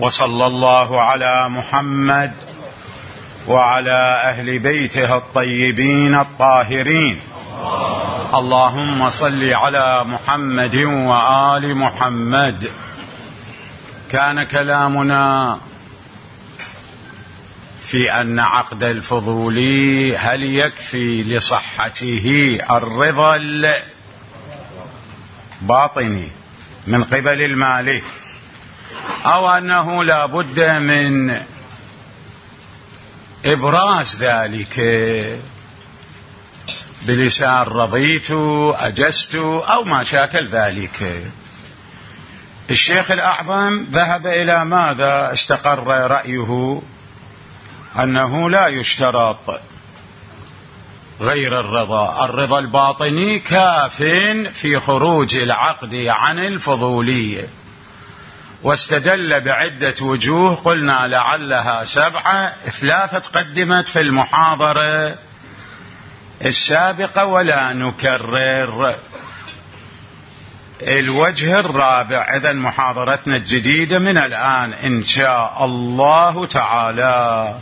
وصلى الله على محمد وعلى أهل بيته الطيبين الطاهرين. اللهم صل على محمد وآل محمد. كان كلامنا في أن عقد الفضولي هل يكفي لصحته الرضا الباطني من قبل المالك، أو أنه لا بد من إبراز ذلك بلسان رضيت أجزت أو ما شاكل ذلك. الشيخ الأعظم ذهب إلى ماذا؟ استقر رأيه أنه لا يشترط غير الرضا الباطني كاف في خروج العقد عن الفضولية، واستدل بعدة وجوه قلنا لعلها 7، 3 قدمت في المحاضرة السابقة ولا نكرر. الوجه الرابع، إذن محاضرتنا الجديدة من الآن إن شاء الله تعالى،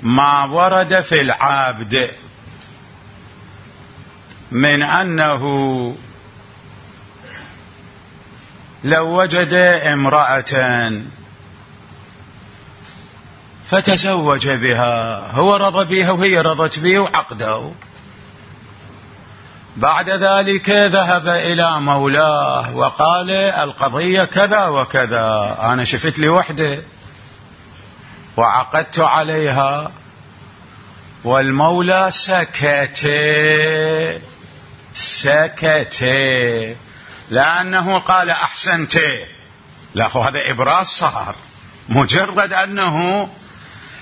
ما ورد في العبد من أنه لو وجد امرأة فتزوج بها، هو رضى بها وهي رضت به وعقده، بعد ذلك ذهب إلى مولاه وقال القضية كذا وكذا، أنا شفت لي وحدة وعقدت عليها، والمولى سكت لأنه قال أحسنت. لا، هذا إبراز صار، مجرد أنه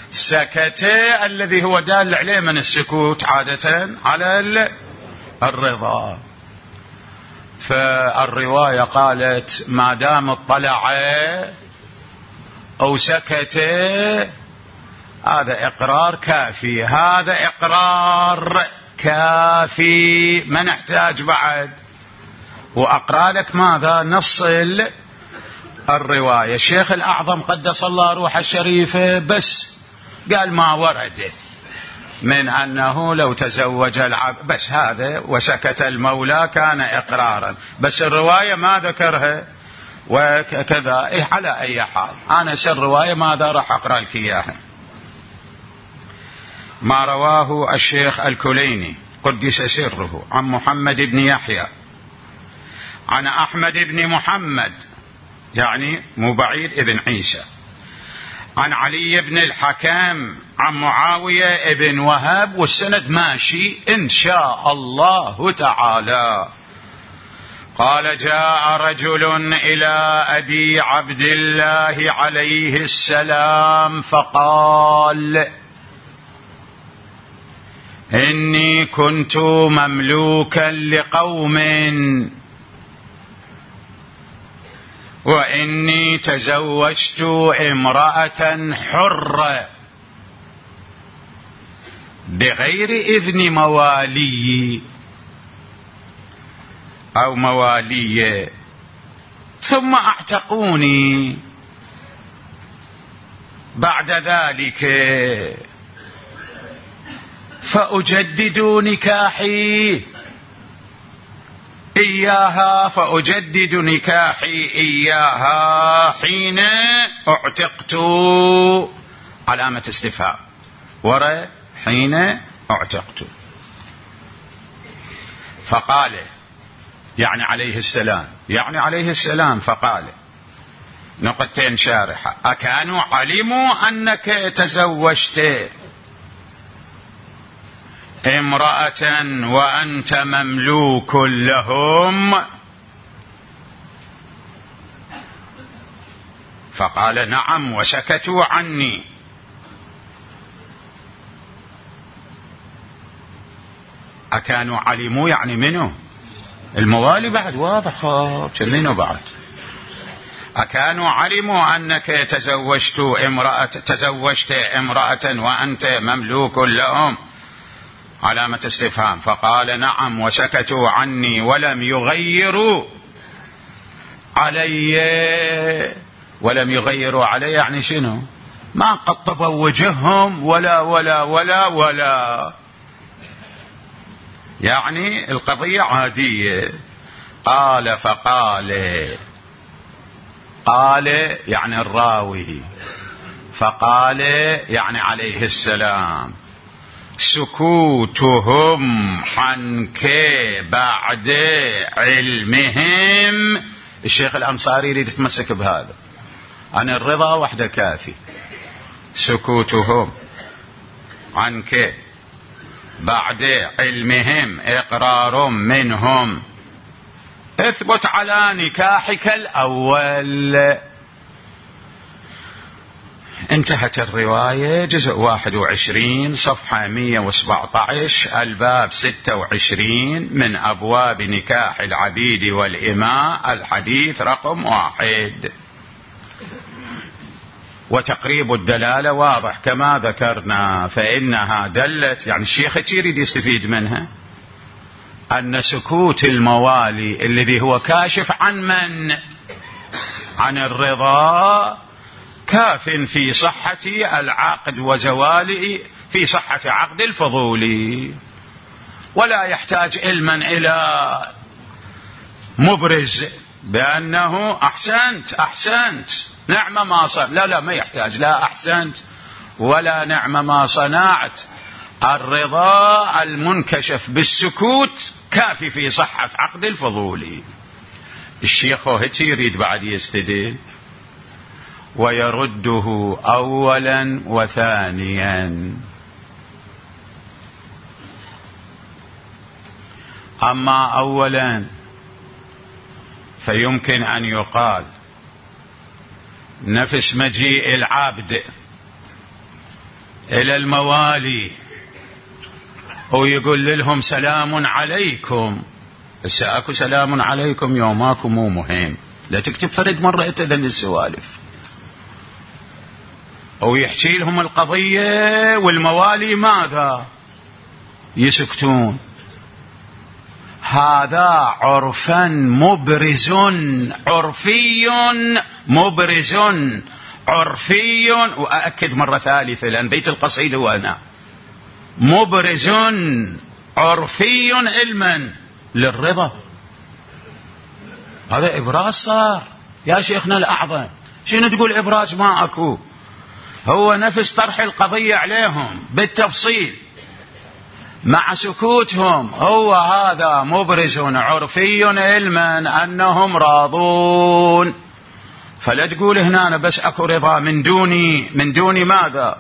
سكت الذي هو دال عليه من السكوت عادة على الرضا. فالرواية قالت ما دام اطلع أو سكت هذا إقرار كافي، هذا إقرار كافي، ما نحتاج بعد. وأقرأ لك ماذا؟ نص الرواية. الشيخ الأعظم قدس الله روح الشريفة بس قال ما ورد من أنه لو تزوج العبد بس هذا، وسكت المولى كان إقرارا، بس الرواية ما ذكرها وكذا. على أي حال أنا سر الرواية ماذا راح أقرأ لك إياها. ما رواه الشيخ الكليني قدس سره عن محمد بن يحيى عن أحمد بن محمد، يعني مو بعيد ابن عيسى، عن علي بن الحكم عن معاوية بن وهب، والسند ماشي إن شاء الله تعالى. قال جاء رجل إلى أبي عبد الله عليه السلام فقال إني كنت مملوكا لقوم وإني تزوجت امرأة حرة بغير إذن موالي أو موالية، ثم اعتقوني بعد ذلك فأجدد نكاحي إياها، فأجدد نكاحي إياها حين اعتقت، علامة استفهام وراء حين اعتقت. فقال يعني عليه السلام فقال نقطتين شارحة: أكانوا علموا أنك تزوجت امرأة وأنت مملوك لهم؟ فقال نعم وسكتوا عني. أكانوا علموا يعني منه الموالي بعد واضح منه بعد. أكانوا علموا أنك تزوجت امرأة وأنت مملوك لهم؟ علامة استفهام. فقال نعم وسكتوا عني ولم يغيروا علي ولم يغيروا عليه يعني شنو؟ ما قطبوا وجههم ولا يعني القضية عادية. قال فقال، قال يعني الراوي، فقال يعني عليه السلام: سكوتهم عنك بعد علمهم. الشيخ الأنصاري يريد يتمسك بهذا، عن الرضا وحده كافي. سكوتهم عنك بعد علمهم إقرار منهم، اثبت على نكاحك الأول. انتهت الرواية. جزء 21 صفحة 117 الباب 26 من أبواب نكاح العبيد والإماء، الحديث رقم 1. وتقريب الدلالة واضح كما ذكرنا، فإنها دلت، يعني الشيخ يريد يستفيد منها، أن سكوت الموالي الذي هو كاشف عن من؟ عن الرضا، كاف في صحة العقد وزواله، في صحة عقد الفضولي، ولا يحتاج علما إلى مبرز بأنه أحسنت نعم ما صنعت. لا ما يحتاج، لا أحسنت ولا نعم ما صنعت. الرضا المنكشف بالسكوت كافي في صحة عقد الفضولي. الشيخ هيك يريد بعد يستدل ويرده أولا وثانيا. أما أولا فيمكن أن يقال نفس مجيء العبد إلى الموالي ويقول لهم سلام عليكم، اكو سلام عليكم يوماكم مو مهم، لا تكتب فرد مرة اتذن السوالف، ويحكي لهم القضية والموالي ماذا؟ يسكتون. هذا عرفا مبرز، عرفي مبرز، عرفي، وأأكد مرة ثالثة لأن بيت القصيدة وأنا مبرز عرفي علما للرضا. هذا إبراز صار يا شيخنا الأعظم. شنو تقول إبراز؟ ما أكو، هو نفس طرح القضية عليهم بالتفصيل مع سكوتهم. هو هذا مبرز عرفي علما أنهم راضون. فلا تقول هنا بس أكو رضا من دوني ماذا؟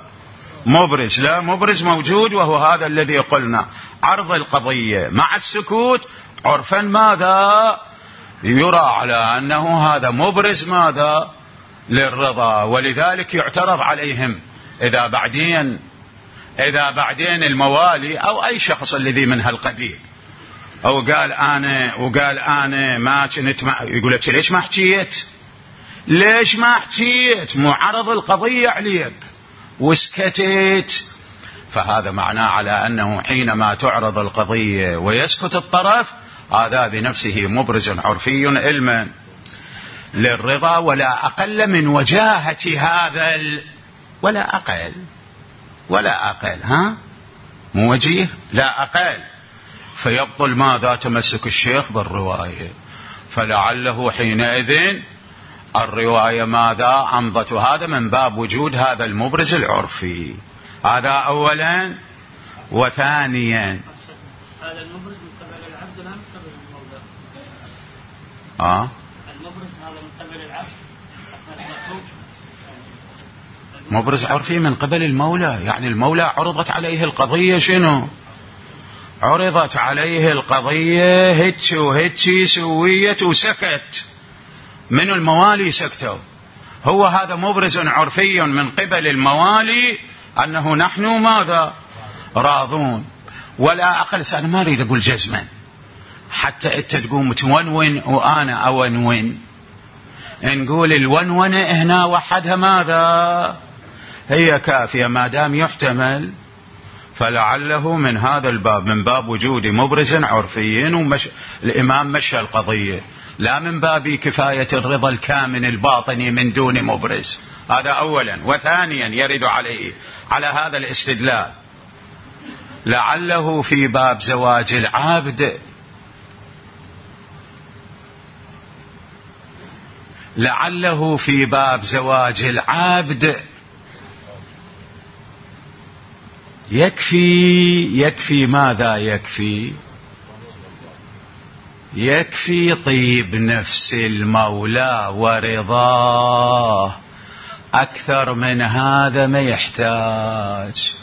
مبرز. لا، مبرز موجود، وهو هذا الذي قلنا عرض القضية مع السكوت عرفا ماذا؟ يرى على أنه هذا مبرز ماذا؟ للرضا. ولذلك يعترض عليهم إذا بعدين الموالي أو أي شخص الذي من هالقبيل أو قال أنا ما كنت، يقول لك ليش ما حكيت؟ ليش ما حكيت؟ معرض القضية عليك وسكتت. فهذا معناه على أنه حينما تعرض القضية ويسكت الطرف، هذا بنفسه مبرز عرفي علما للرضا، ولا أقل من وجاهة هذا ولا أقل مو وجيه، لا أقل. فيبطل ماذا؟ تمسك الشيخ بالرواية. فلعله حينئذ الرواية ماذا؟ أمضت. هذا من باب وجود هذا المبرز العرفي. هذا أولا. وثانيا هذا المبرز من قبل العبد لا من قبل المولى. المبرز هذا من قبل العبد، مبرز عرفي من قبل المولى، يعني المولى عرضت عليه القضية. شنو عرضت عليه القضية؟ هيك وهيك سويت وسكت. من الموالي سكتوا. هو هذا مبرز عرفي من قبل الموالي أنه نحن ماذا؟ راضون. ولا أقل. أنا ما أريد أقول جزما حتى أنت تقوم تونون وأنا أونون. نقول الونونة هنا وحدها ماذا؟ هي كافية ما دام يحتمل فلعله من هذا الباب، من باب وجود مبرز عرفي، الإمام مشى القضية، لا من باب كفاية الرضا الكامن الباطني من دون مبرز. هذا أولا. وثانيا يرد عليه على هذا الاستدلال لعله في باب زواج العبد، لعله في باب زواج العبد يكفي ماذا يكفي؟ يكفي طيب نفس المولى ورضاه، أكثر من هذا ما يحتاج،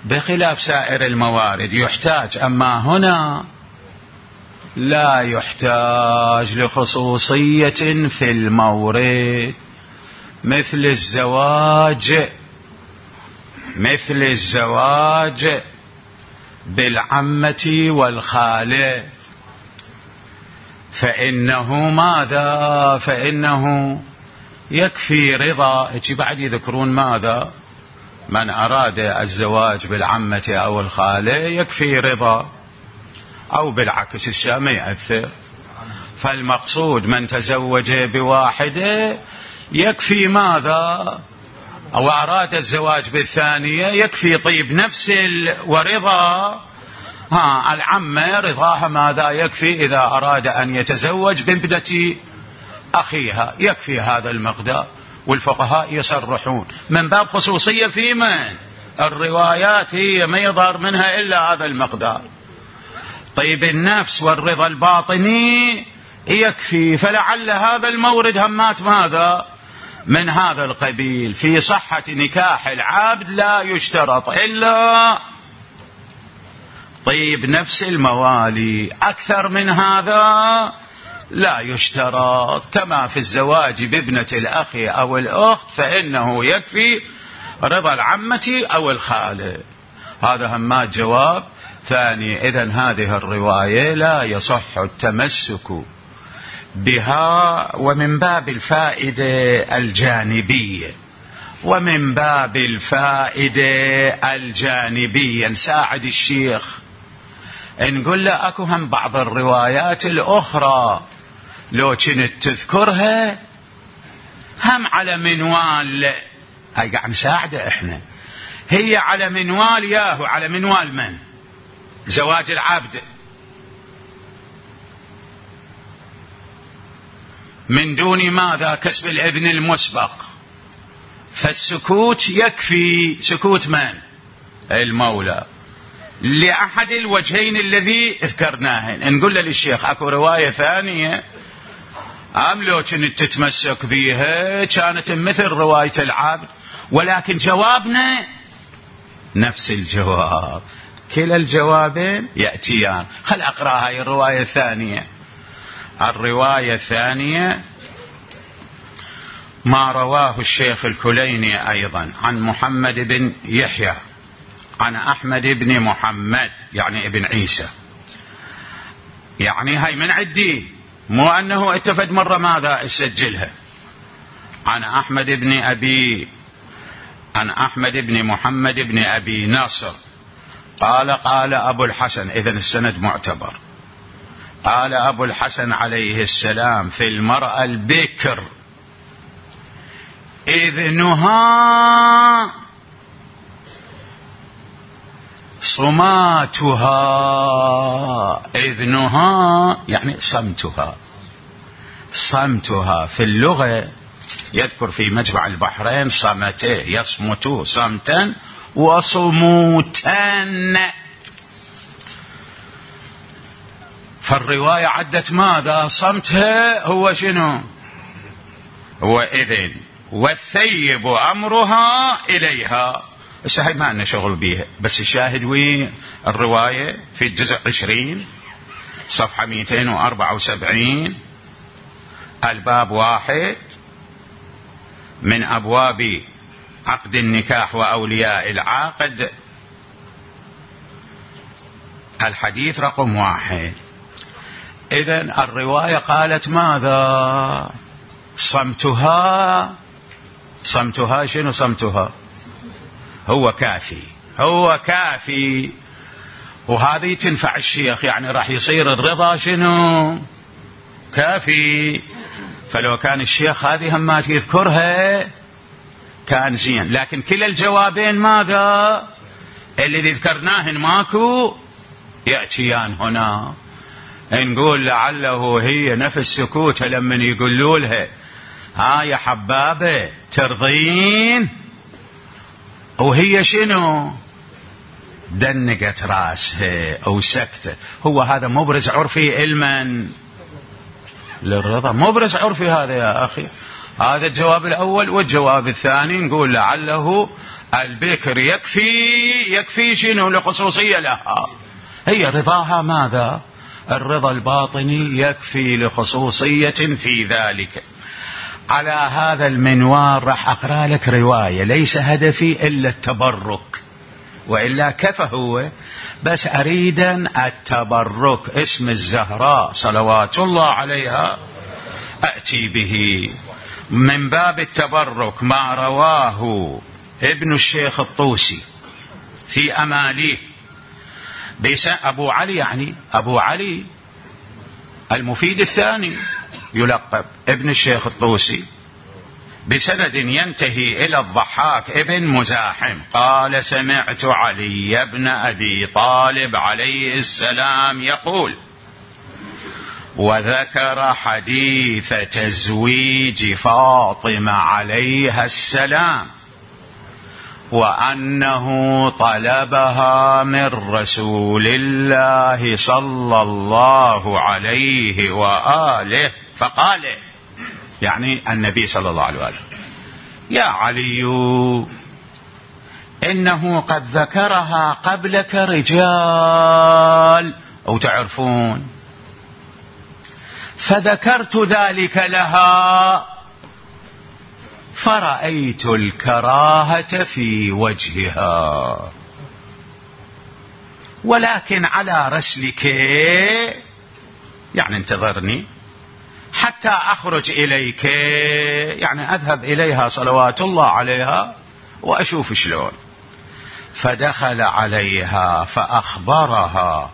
بخلاف سائر الموارد يحتاج، أما هنا لا يحتاج لخصوصية في المورد، مثل الزواج بالعمة والخالة، فإنه ماذا؟ فإنه يكفي رضا. يجي بعد يذكرون ماذا؟ من أراد الزواج بالعمة أو الخالة يكفي رضا، أو بالعكس الشيء ما يأثر. فالمقصود من تزوج بواحدة يكفي ماذا؟ أو أراد الزواج بالثانية يكفي طيب نفس ورضا. العمة رضاها ماذا يكفي؟ إذا أراد أن يتزوج بابنة أخيها يكفي هذا المقدار، والفقهاء يصرحون من باب خصوصية في من الروايات هي ما يظهر منها إلا هذا المقدار. طيب النفس والرضا الباطني يكفي، فلعل هذا المورد همات ماذا؟ من هذا القبيل. في صحة نكاح العبد لا يشترط إلا طيب نفس الموالي، أكثر من هذا لا يشترط. كما في الزواج بابنة الأخ أو الأخت فإنه يكفي رضا العمة أو الخالة. هذا همات جواب ثاني. إذن هذه الرواية لا يصح التمسك بها، ومن باب الفائدة الجانبية، ومن باب الفائدة الجانبية نساعد الشيخ نقول له أكو هم بعض الروايات الأخرى لو كنت تذكرها هم على منوال، هاي قاعد نساعده احنا، هي على منوال ياهو، على منوال من؟ زواج العبد من دون ماذا؟ كسب الإذن المسبق. فالسكوت يكفي، سكوت من؟ المولى، لأحد الوجهين الذي ذكرناه. نقول للشيخ أكو رواية ثانية أم لو كنت تتمسك بها كانت مثل رواية العبد، ولكن جوابنا نفس الجواب، كلا الجوابين يأتيان. خل أقرأ هاي الرواية الثانية. الرواية الثانية ما رواه الشيخ الكليني أيضا عن محمد بن يحيى عن أحمد بن محمد يعني ابن عيسى، يعني هاي من عدي، مو أنه اتفد مرة ماذا اسجلها. عن أحمد بن محمد بن أبي ناصر قال قال أبو الحسن، إذن السند معتبر، قال أبو الحسن عليه السلام في المرأة البكر إذنها صماتها، إذنها يعني صمتها في اللغة يذكر في مجمع البحرين صمته، يصمت صمتا وصموتا. فالرواية عدت ماذا؟ صمتها هو شنو؟ هو إذن، والثيب أمرها إليها. الشاهد ما عندنا شغل بيها، بس الشاهد وين؟ الرواية في الجزء 20 صفحة 274 الباب 1 من أبواب عقد النكاح وأولياء العاقد، الحديث رقم 1. إذن الرواية قالت ماذا؟ صمتها شنو؟ صمتها هو كافي، هو كافي. وهذه تنفع الشيخ، يعني راح يصير الرضا شنو؟ كافي. فلو كان الشيخ هذه همات يذكرها كان زين، لكن كلا الجوابين ماذا؟ اللي ذكرناهن ماكو يأتيان هنا. نقول لعله هي نفس سكوتها لما يقولوا لها ها يا حبابة ترضين، وهي شنو؟ دنقت راسها أو سكتة. هو هذا مبرز عرفي المن للرضا، مبرز عرفي هذا يا أخي. هذا الجواب الأول. والجواب الثاني نقول لعله البكر يكفي شنو لخصوصية لها، هي رضاها ماذا؟ الرضا الباطني يكفي لخصوصية في ذلك. على هذا المنوال راح أقرأ لك رواية، ليس هدفي إلا التبرك، وإلا كفى هو، بس أريدا التبرك. اسم الزهراء صلوات الله عليها أأتي به من باب التبرك ما رواه ابن الشيخ الطوسي في أماليه أبو علي، يعني أبو علي المفيد الثاني يلقب ابن الشيخ الطوسي، بسند ينتهي إلى الضحاك ابن مزاحم قال سمعت علي بن أبي طالب عليه السلام يقول، وذكر حديث تزويج فاطمة عليها السلام، وأنه طلبها من رسول الله صلى الله عليه وآله فقال، يعني النبي صلى الله عليه وآله، يا علي إنه قد ذكرها قبلك رجال أو تعرفون، فذكرت ذلك لها فرأيت الكراهة في وجهها، ولكن على رسلك، يعني انتظرني حتى أخرج إليك، يعني أذهب إليها صلوات الله عليها وأشوف شلون. فدخل عليها فأخبرها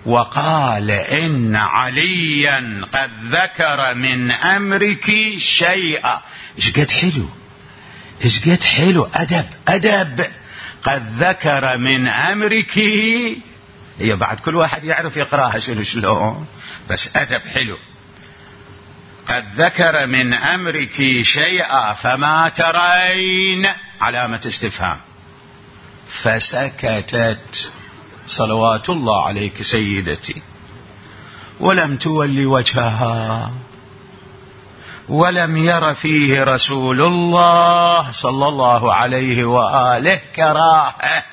وقال إن عليا قد ذكر من أمرك شيئا. إيش قد حلو أدب قد ذكر من أمرك. هي بعد كل واحد يعرف يقراها شلون، بس أدب حلو. قد ذكر من أمرك شيئا فما ترين، علامة استفهام. فسكتت صلوات الله عليك سيدتي، ولم تولي وجهها، ولم ير فيه رسول الله صلى الله عليه وآله كراهة.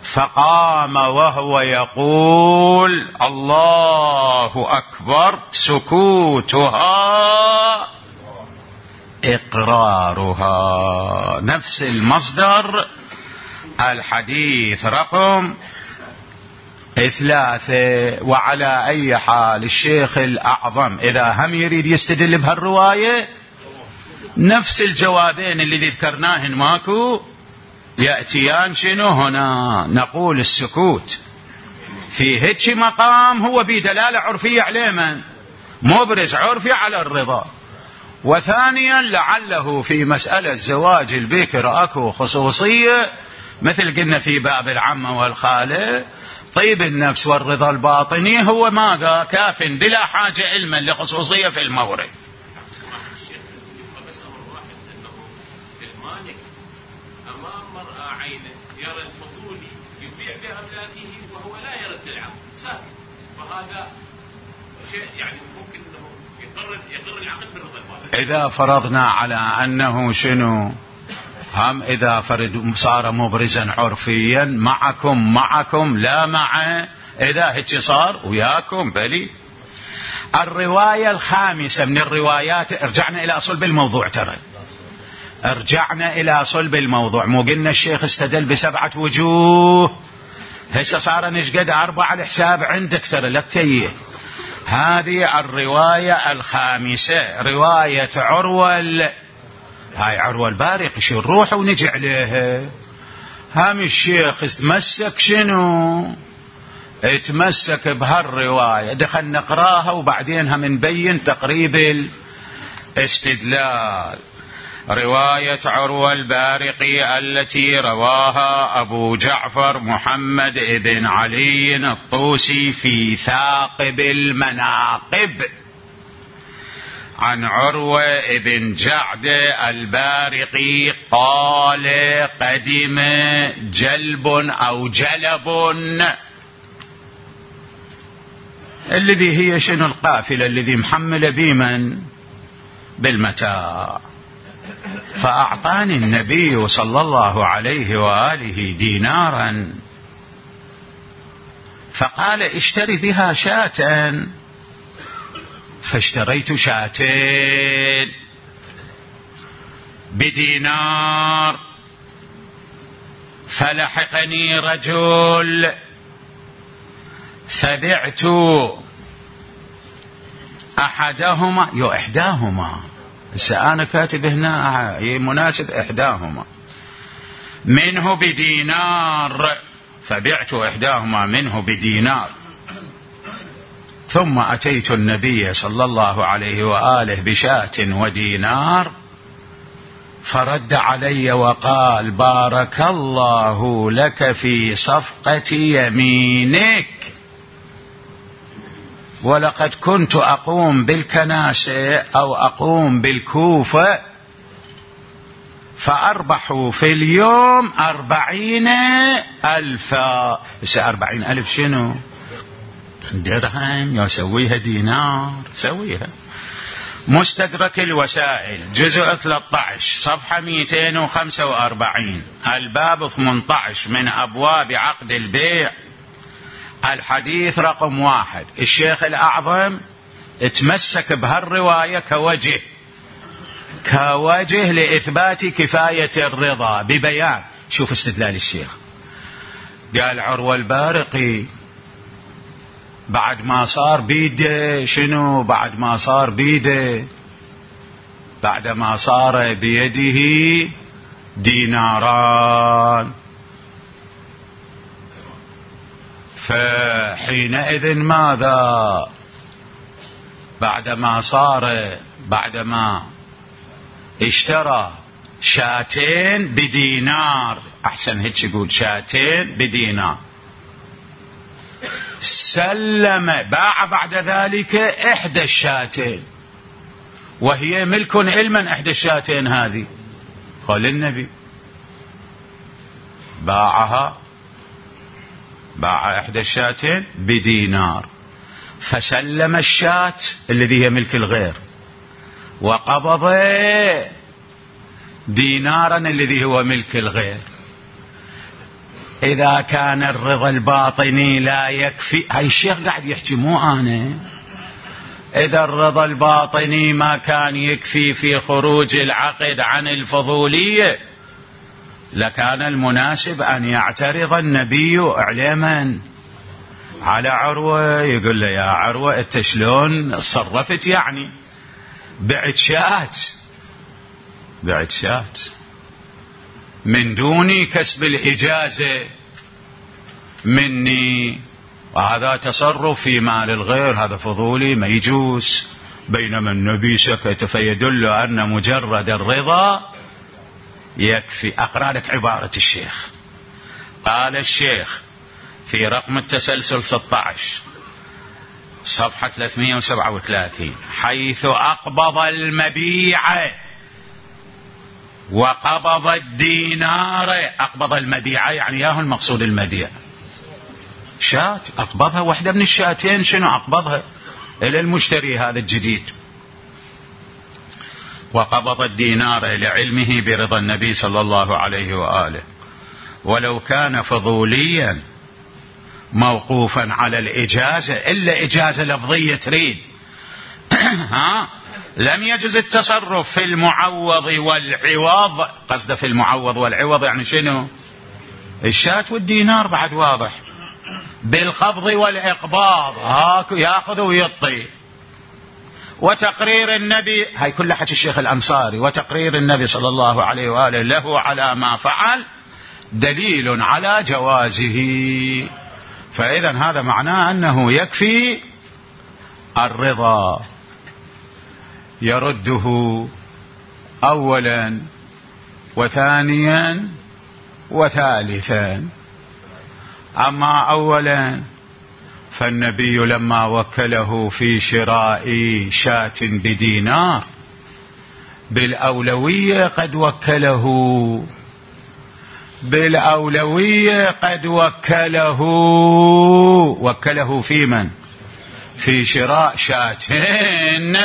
فقام وهو يقول الله أكبر، سكوتها إقرارها. نفس المصدر، الحديث رقم 3. وعلى أي حال الشيخ الأعظم إذا هم يريد يستدل بهالرواية نفس الجوابين اللي ذكرناهن ماكو يأتيان شنو هنا. نقول السكوت في هيك مقام هو بدلالة عرفية عليه، من مبرز عرفي على الرضا. وثانيا لعله في مسألة زواج البكر أكو خصوصية، مثل قلنا في باب العمة والخالة. طيب النفس والرضا الباطني هو ماذا؟ كاف بلا حاجة علما لخصوصية في المورد. بس أمر واحد، أنه المالك أمام مرأة عينه يرى الفضولي يبيع بأملاكه وهو لا يرى العقد ساكت، فهذا شيء يعني ممكن أنه يقر العقد بالرضا الباطني. إذا فرضنا على أنه شنو هم، إذا فرد صار مبرزا عرفيا معكم لا مع، إذا هيك صار وياكم بلي. الرواية الخامسة من الروايات، رجعنا إلى صلب الموضوع، ترى رجعنا إلى صلب الموضوع. مو قلنا الشيخ استدل ب7 وجوه، هسه صار نشقد 4 على الحساب عندك، ترى لا تتيه. هذه الرواية الخامسة رواية عروة، هاي عروة البارق، شو نروح ونجي عليها. هم الشيخ تمسك شنو؟ اتمسك بهالرواية. دخل نقراها وبعدين هم نبين تقريب الاستدلال. رواية عروة البارقي التي رواها أبو جعفر محمد بن علي الطوسي في ثاقب المناقب عن عروة بن جعد البارقي قال: قدم جلب أو جلب، الذي هي شنو؟ القافلة الذي محمل بمن؟ بالمتاع. فأعطاني النبي صلى الله عليه وآله دينارا، فقال: اشتري بها شاة، فاشتريت شاتين بدينار. فلحقني رجل فبعت أحدهما إحداهما، أنا كاتب هنا مناسب إحداهما منه بدينار، فبعت إحداهما منه بدينار. ثم أتيت النبي صلى الله عليه وآله بشاة ودينار، فرد علي وقال: بارك الله لك في صفقة يمينك. ولقد كنت أقوم بالكناسة أو أقوم بالكوفة فأربح في اليوم 40,000. 40,000 شنو؟ درهم يسويها دينار، سويها. مستدرك الوسائل جزء 13 صفحة 245 الباب 18 من أبواب عقد البيع، الحديث رقم 1. الشيخ الأعظم اتمسك بهالرواية كوجه لإثبات كفاية الرضا ببيان. شوف استدلال الشيخ. قال: عروة البارقي بعد ما صار بيده شنو؟ بعد ما صار بيده، بعد ما صار بيده ديناران، فحينئذ ماذا؟ بعدما اشترى شاتين بدينار، أحسن هيك يقول شاتين بدينار، سلم باع بعد ذلك إحدى الشاتين، وهي ملك علما. إحدى الشاتين هذه قال النبي باع إحدى الشاتين بدينار، فسلم الشاة الذي هي ملك الغير، وقبض دينارا الذي هو ملك الغير. إذا كان الرضا الباطني لا يكفي، هاي الشيخ قاعد يحكي مو أنا، إذا الرضا الباطني ما كان يكفي في خروج العقد عن الفضولية، لكان المناسب أن يعترض النبي إعلاما على عروة، يقول له: يا عروة أنت شلون صرفت؟ يعني بعت شات من دون كسب الإجازة مني، وهذا تصرف في مال الغير، هذا فضولي ما يجوز. بينما النبي سكت، فيدل أن مجرد الرضا يكفي. أقرأ لك عبارة الشيخ. قال الشيخ في رقم التسلسل 16 صفحة 337: حيث أقبض المبيع وقبض الدينار. أقبض المبيع يعني ياهو المقصود المبيع، شات أقبضها، واحدة من الشاتين شنو أقبضها إلى المشتري هذا الجديد. وقبض الدينار لعلمه برضا النبي صلى الله عليه وآله، ولو كان فضوليا موقوفا على الإجازة، إلا إجازة لفظية تريد لم يجز التصرف في المعوض والعوض. قصده في المعوض والعوض يعني شنو؟ الشاة والدينار، بعد واضح. بالقبض والإقباض، ياخذ ويعطي. وتقرير النبي، هاي كل حكي الشيخ الأنصاري، وتقرير النبي صلى الله عليه وآله له على ما فعل دليل على جوازه. فإذا هذا معناه أنه يكفي الرضا، يرده أولا وثانيا وثالثا. أما أولا فالنبي لما وكله في شراء شاة بدينار بالأولوية قد وكله، بالأولوية قد وكله في من؟ في شراء شاتين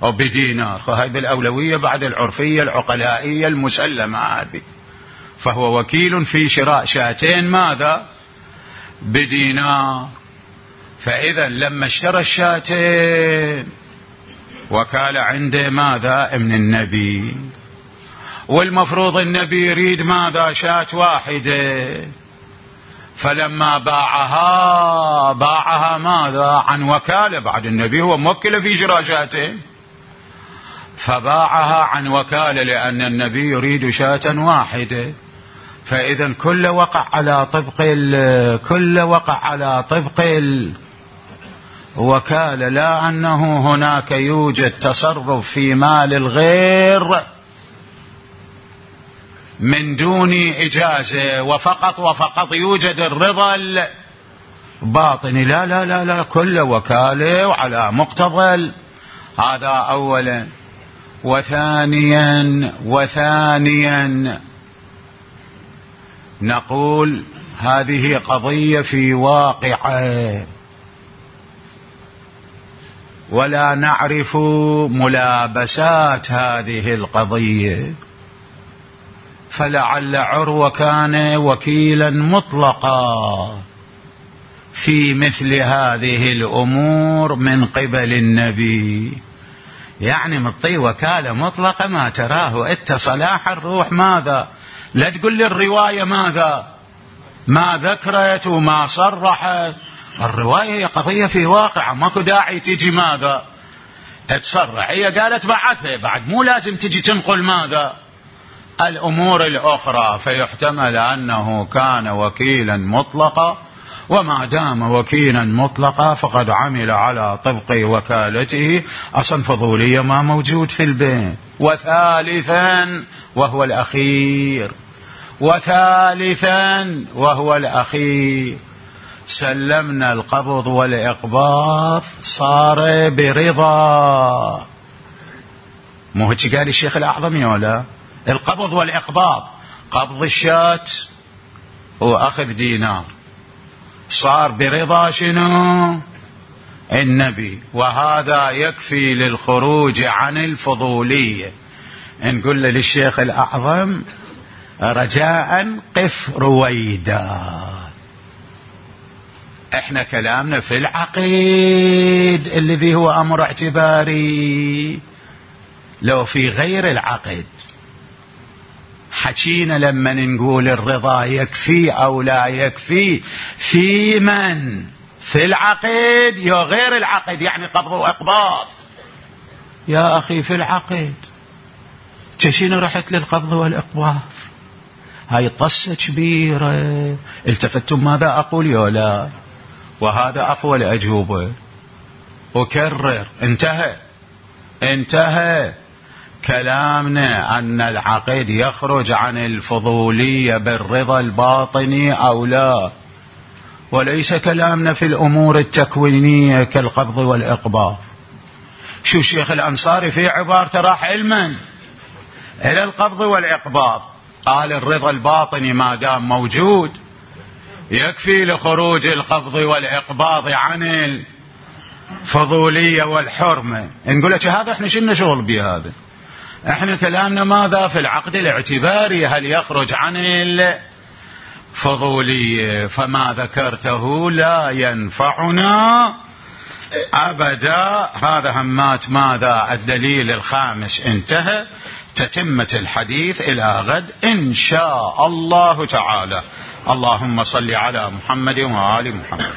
وبدينار، فهي بالأولوية بعد العرفية العقلائية المسلمة هذه. فهو وكيل في شراء شاتين ماذا؟ بدينار. فإذا لما اشترى الشاتين وكال عنده ماذا؟ من النبي، والمفروض النبي يريد ماذا؟ شاة واحدة. فلما باعها ماذا؟ عن وكالة، بعد النبي هو موكل في شراء شاتين، فباعها عن وكالة لأن النبي يريد شاة واحدة. فإذا كل وقع على طبق الوكالة، لا أنه هناك يوجد تصرف في مال الغير من دون إجازة وفقط يوجد الرضا الباطني. لا لا لا لا، كل وكالة وعلى مقتضى. هذا أولا. وثانيا نقول هذه قضية في واقعة ولا نعرف ملابسات هذه القضية، فلعل عروة كان وكيلا مطلقا في مثل هذه الأمور من قبل النبي، يعني مطي وكالة مطلقة ما تراه انت صلاح الروح ماذا؟ لا تقول لي الرواية ماذا؟ ما ذكرت وما صرحت. الرواية هي قضية في واقع، ماكو داعي تجي ماذا؟ تصرح. هي قالت بعثه، بعد مو لازم تجي تنقل ماذا؟ الأمور الأخرى. فيحتمل أنه كان وكيلا مطلقا، وما دام وكيلا مطلقا فقد عمل على طبق وكالته. أصلا فضولية ما موجود في البيت. وثالثا وهو الأخير سلمنا القبض والإقباض صار برضا. مو هيك قال الشيخ الأعظم يولا؟ القبض والإقباض، قبض الشاة وأخذ دينار، صار برضا شنو؟ النبي. وهذا يكفي للخروج عن الفضولية. نقول للشيخ الأعظم رجاء قف رويدا، احنا كلامنا في العقد الذي هو أمر اعتباري. لو في غير العقد حكينا لما نقول الرضا يكفي أو لا يكفي في من؟ في العقد يا غير العقد؟ يعني قبض وإقباض يا أخي في العقد. تشين رحت للقبض والإقباض، هاي طسة كبيرة. التفتم ماذا أقول يولا؟ وهذا أقوى الأجوبة. أكرر، انتهى كلامنا أن العقد يخرج عن الفضولية بالرضا الباطني أو لا، وليس كلامنا في الأمور التكوينية كالقبض والإقباض. شو الشيخ الأنصاري في عبارته راح علما إلى القبض والإقباض، قال الرضا الباطني ما دام موجود يكفي لخروج القبض والإقباض عن الفضولية والحرمة. نقول لك هذا احنا شلنا شغل بهذا، احنا كلامنا ماذا؟ في العقد الاعتباري هل يخرج عن الفضولية؟ فما ذكرته لا ينفعنا أبدا. هذا همات ماذا؟ الدليل الخامس انتهى. تتمة الحديث إلى غد إن شاء الله تعالى. اللهم صل على محمد وآل محمد.